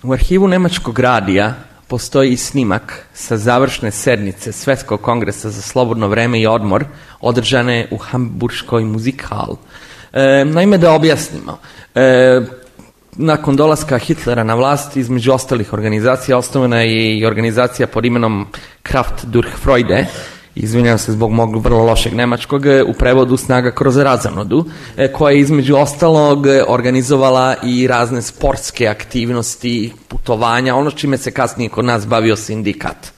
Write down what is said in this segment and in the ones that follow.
U arhivu Nemačkog radija postoji i snimak sa završne sednice Svetskog kongresa za slobodno vreme i odmor održane u Hamburškoj Musikhal. Naime, da objasnimo, nakon dolaska Hitlera na vlast, između ostalih organizacija, osnovana je i organizacija pod imenom Kraft durch Freude, izvinjavam se zbog mog vrlo lošeg nemačkog, u prevodu Snaga kroz razonodu, koja je između ostalog organizovala i razne sportske aktivnosti, putovanja, ono čime se kasnije kod nas bavio sindikat.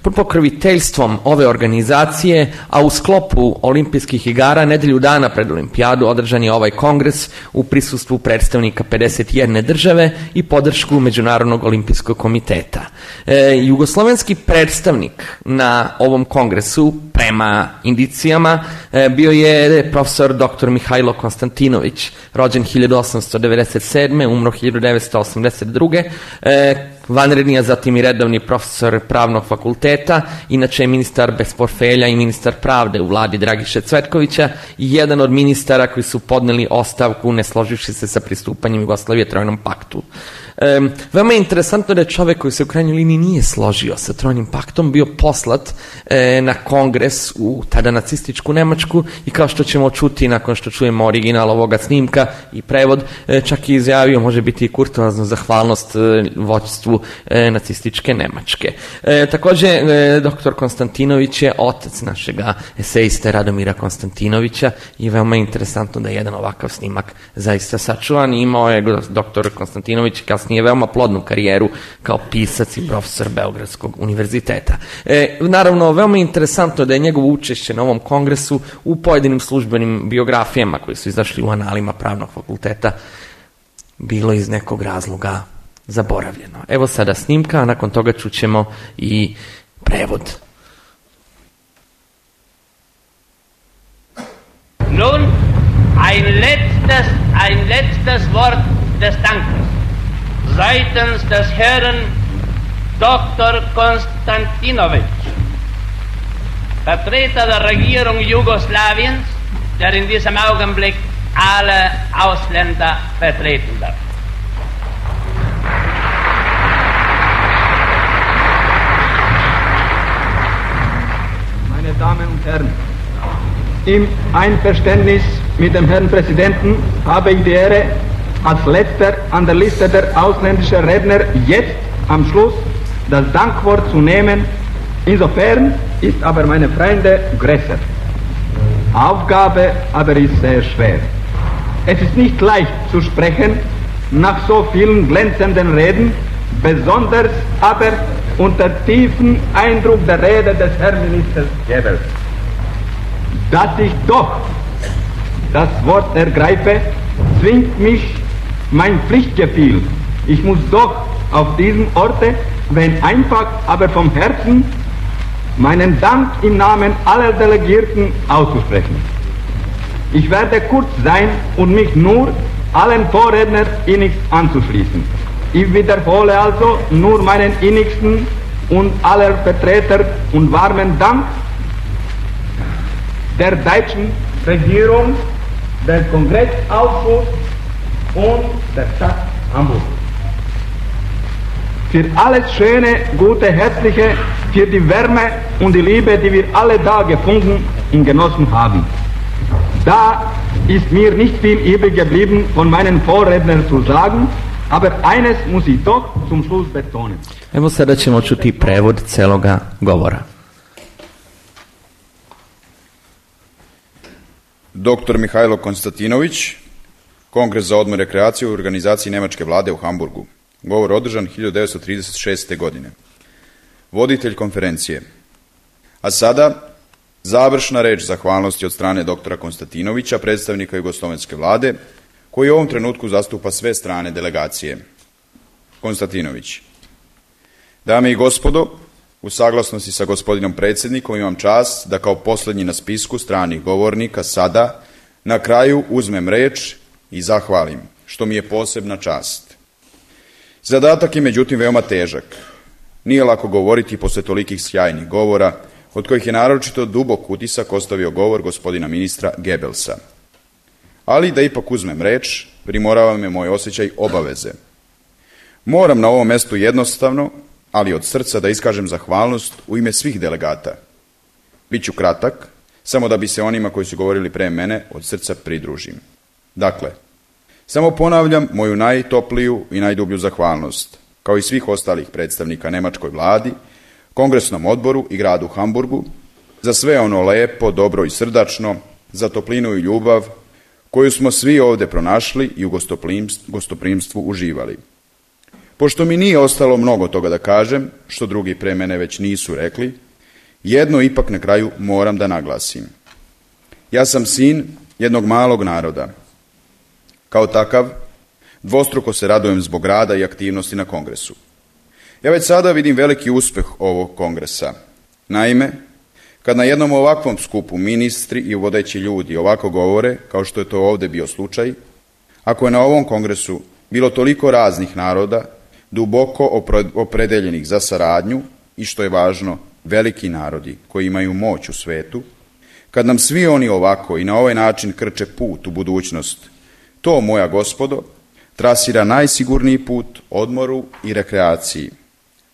Pod pokroviteljstvom ove organizacije, a u sklopu olimpijskih igara, nedelju dana pred olimpijadu održan je ovaj kongres u prisustvu predstavnika 51 države i podršku Međunarodnog olimpijskog komiteta. Jugoslovenski predstavnik na ovom kongresu, prema indicijama, bio je profesor dr. Mihajlo Konstantinović, rođen 1897. umro 1982. Vanredni, a zatim i redovni profesor pravnog fakulteta, inače je ministar bez portfelja i ministar pravde u vladi Dragiše Cvetkovića i jedan od ministara koji su podneli ostavku ne složivši se sa pristupanjem Jugoslavije Trojnom paktu. Veoma je interesantno da je čovek koji se u krajnjoj liniji nije složio sa Trojnim paktom bio poslat na kongres u tada nacističku Nemačku i kao što ćemo čuti nakon što čujemo original ovoga snimka i prevod, čak i izjavio može biti i kurtoaznu zahvalnost vođstvu nacističke Nemačke. Također, dr. Konstantinović je otac našega eseiste Radomira Konstantinovića i veoma je interesantno da je jedan ovakav snimak zaista sačuvan. Imao je dr. Konstantinović kasnije veoma plodnu karijeru kao pisac i profesor Beogradskog univerziteta. Naravno, veoma je interesantno da je njegovo učešće na ovom kongresu u pojedinim službenim biografijama koji su izašli u analima pravnog fakulteta bilo iz nekog razloga zaboravljeno. Evo sada snimka, a nakon toga čućemo i prevod. Nun, ein letztes Wort des Dankes seitens des Herrn Dr. Konstantinović, Vertreter der Regierung Jugoslawiens, der in diesem Augenblick alle Ausländer vertreten darf. Meine Damen und Herren, im Einverständnis mit dem Herrn Präsidenten habe ich die Ehre, als letzter an der Liste der ausländischen Redner jetzt am Schluss das Dankwort zu nehmen. Insofern ist aber, meine Freunde, größer. Aufgabe aber ist sehr schwer. Es ist nicht leicht zu sprechen nach so vielen glänzenden Reden, besonders aber unter tiefem Eindruck der Rede des Herrn Ministers Goebbels. Dass ich doch das Wort ergreife, zwingt mich mein Pflichtgefühl. Ich muss doch auf diesem Orte, wenn einfach, aber vom Herzen, meinen Dank im Namen aller Delegierten auszusprechen. Ich werde kurz sein und mich nur allen Vorrednern innigst anzuschließen. Ich wiederhole also nur meinen innigsten und aller Vertreter und warmen Dank der deutschen Regierung, der Kongressausschuss und der Stadt Hamburg. Für alles Schöne, Gute, Herzliche, für die Wärme und die Liebe, die wir alle da gefunden und genossen haben. Da ist mir nicht viel übrig geblieben, von meinen Vorrednern zu sagen, aber eines muss ich doch zum Schluss betonen. Evo sada ćemo čuti prevod celoga govora. Dr. Mihajlo Konstantinović, Kongres za odmor i rekreaciju u organizaciji Nemačke vlade u Hamburgu. Govor održan 1936. godine. Voditelj konferencije. A sada, završna reč zahvalnosti od strane doktora Konstantinovića, predstavnika Jugoslovenske vlade, koji u ovom trenutku zastupa sve strane delegacije. Konstantinović. Dame i gospodo, u saglasnosti sa gospodinom predsjednikom imam čast da kao posljednji na spisku stranih govornika sada na kraju uzmem reč i zahvalim, što mi je posebna čast. Zadatak je međutim veoma težak. Nije lako govoriti posle tolikih sjajnih govora, od kojih je naročito dubok utisak ostavio govor gospodina ministra Goebbelsa. Ali da ipak uzmem reč, primorava me moj osjećaj obaveze. Moram na ovom mestu jednostavno, ali od srca da iskažem zahvalnost u ime svih delegata. Biću kratak, samo da bi se onima koji su govorili pre mene od srca pridružim. Dakle, samo ponavljam moju najtopliju i najdublju zahvalnost, kao i svih ostalih predstavnika nemačkoj vladi, kongresnom odboru i gradu Hamburgu, za sve ono lepo, dobro i srdačno, za toplinu i ljubav koju smo svi ovde pronašli i u gostoprimstvu uživali. Pošto mi nije ostalo mnogo toga da kažem, što drugi pre mene već nisu rekli, jedno ipak na kraju moram da naglasim. Ja sam sin jednog malog naroda. Kao takav, dvostruko se radujem zbog rada i aktivnosti na kongresu. Ja već sada vidim veliki uspeh ovog kongresa. Naime, kad na jednom ovakvom skupu ministri i vodeći ljudi ovako govore, kao što je to ovde bio slučaj, ako je na ovom kongresu bilo toliko raznih naroda, duboko opredeljenih za saradnju i, što je važno, veliki narodi koji imaju moć u svetu, kad nam svi oni ovako i na ovaj način krče put u budućnost, to, moja gospodo, trasira najsigurniji put odmoru i rekreaciji.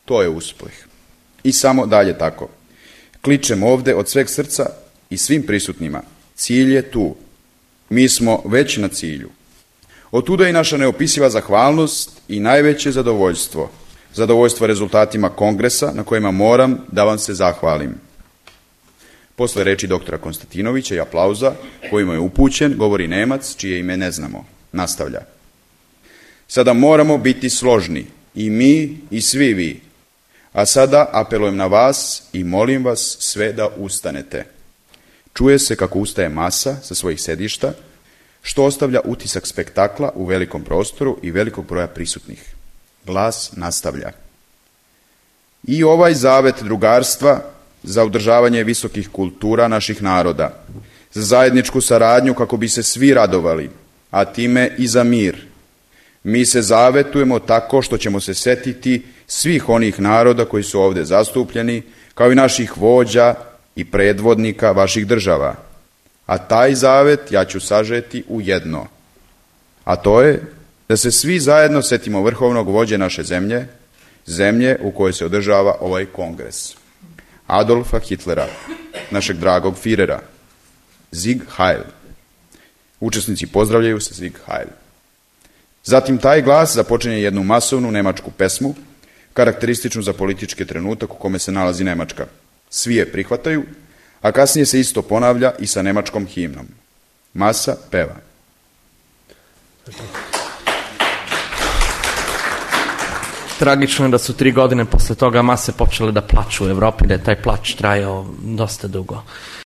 To je uspeh. I samo dalje tako. Kličem ovde od sveg srca i svim prisutnima. Cilj je tu. Mi smo već na cilju. Otuda i naša neopisiva zahvalnost i najveće zadovoljstvo. Zadovoljstvo rezultatima kongresa na kojima moram da vam se zahvalim. Posle reči doktora Konstantinovića i aplauza kojima je upućen, govori Nemac, čije ime ne znamo. Nastavlja. Sada moramo biti složni, i mi i svi vi. A sada apelujem na vas i molim vas sve da ustanete. Čuje se kako ustaje masa sa svojih sedišta, što ostavlja utisak spektakla u velikom prostoru i velikog broja prisutnih. Glas nastavlja. I ovaj zavet drugarstva za održavanje visokih kultura naših naroda, za zajedničku saradnju kako bi se svi radovali, a time i za mir. Mi se zavetujemo tako što ćemo se setiti svih onih naroda koji su ovde zastupljeni, kao i naših vođa i predvodnika vaših država. A taj zavet ja ću sažeti u jedno. A to je da se svi zajedno setimo vrhovnog vođe naše zemlje, zemlje u kojoj se održava ovaj kongres. Adolfa Hitlera, našeg dragog Führera. Sieg Heil. Učesnici pozdravljaju se Sieg Heil. Zatim taj glas započinje jednu masovnu nemačku pesmu, karakterističnu za politički trenutak u kome se nalazi Nemačka. Svi je prihvataju, a kasnije se isto ponavlja i sa nemačkom himnom. Masa peva. Tragično je da su 3 godine posle toga mase počele da plaču u Evropi, da je taj plač trajao dosta dugo.